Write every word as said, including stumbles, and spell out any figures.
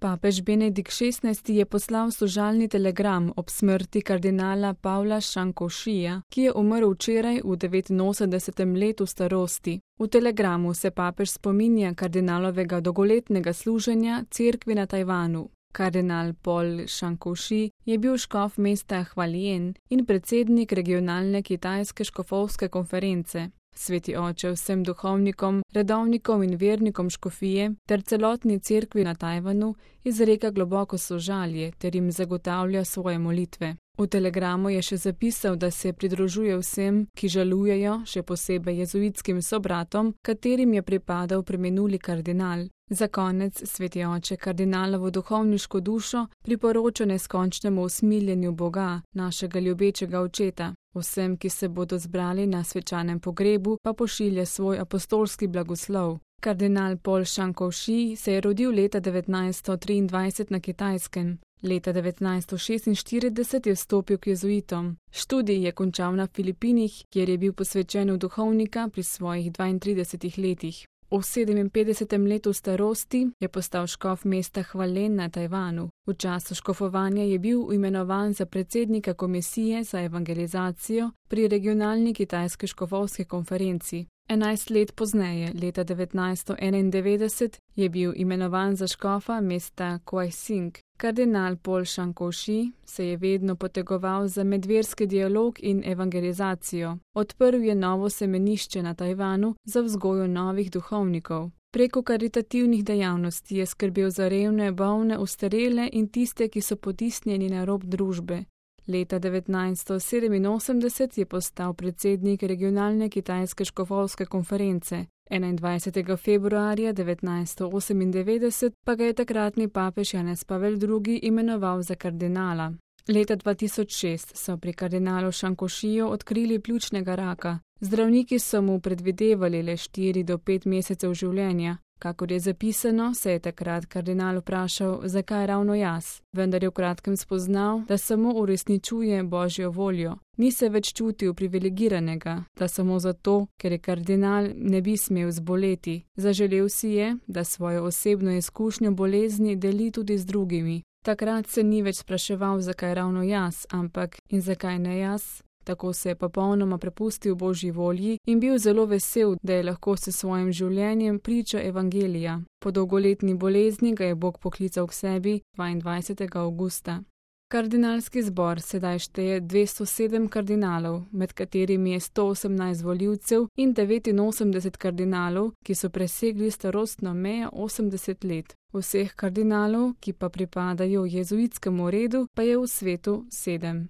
Papež Benedikt šestnajsti je poslal sožalni telegram ob smrti kardinala Pavla Šankovšija, ki je umrl včeraj v devetinosemdesetem letu starosti. V telegramu se papež spominja kardinalovega dolgoletnega služenja cerkvi na Tajvanu. Kardinal Paul Šankovši je bil škof mesta Hvaljen in predsednik regionalne kitajske škofovske konference. Sveti oče vsem duhovnikom, redovnikom in vernikom škofije ter celotni cerkvi na Tajvanu izreka globoko sožalje ter jim zagotavlja svoje molitve. V telegramu je še zapisal, da se pridružuje vsem, ki žalujejo, še posebej jezuitskim sobratom, katerim je pripadal preminuli kardinal. Za konec sveti oče kardinalovo duhovniško dušo priporoča neskončnemu usmiljenju Boga, našega ljubečega očeta. Vsem, ki se bodo zbrali na svečanem pogrebu, pa pošilja svoj apostolski blagoslov. Kardinal Paul Šankovši se je rodil leta devetnajststo triindvajset na Kitajskem. Leta devetnajststo šestinštirideset je vstopil k jezuitom. Študij je končal na Filipinih, kjer je bil posvečen v duhovnika pri svojih dvaintridesetih letih. V sedeminpetdesetem letu starosti je postal škof mesta Hvaljen na Tajvanu. V času škofovanja je bil imenovan za predsednika komisije za evangelizacijo pri regionalni kitajski škofovski konferenci. Enajst let pozneje, leta devetnajststo enaindevetdeset, je bil imenovan za škofa mesta Kuajsing. Kardinal Paul Šankovši se je vedno potegoval za medverski dialog in evangelizacijo. Odprl je novo semenišče na Tajvanu za vzgojo novih duhovnikov. Preko karitativnih dejavnosti je skrbel za revne, bolne, ostarele in tiste, ki so potisnjeni na rob družbe. Leta devetnajststo sedeminosemdeset je postal predsednik regionalne kitajske škofovske konference. enaindvajsetega februarja devetnajststo osemindevetdeset pa ga je takratni papež Janez Pavel drugi imenoval za kardinala. Leta dva tisoč šest so pri kardinalu Šankovšiju odkrili pljučnega raka. Zdravniki so mu predvidevali le štiri do pet mesecev življenja. Kakor je zapisano, se je takrat kardinal vprašal, zakaj ravno jaz, vendar je v kratkem spoznal, da samo uresničuje Božjo voljo. Ni se več čutil privilegiranega, da samo zato, ker je kardinal, ne bi smel zboleti. Zaželel si je, da svojo osebno izkušnjo bolezni deli tudi z drugimi. Takrat se ni več spraševal, zakaj ravno jaz, ampak in zakaj ne jaz. Tako se je popolnoma prepustil Božji volji in bil zelo vesel, da je lahko s svojim življenjem priča evangelija. Po dolgoletni bolezni ga je Bog poklical k sebi dvaindvajsetega avgusta. Kardinalski zbor sedaj šteje dvesto sedem kardinalov, med katerimi je sto osemnajst volivcev in devetinosemdeset kardinalov, ki so presegli starostno mejo osemdeset let. Vseh kardinalov, ki pa pripadajo jezuitskemu redu, pa je v svetu sedem.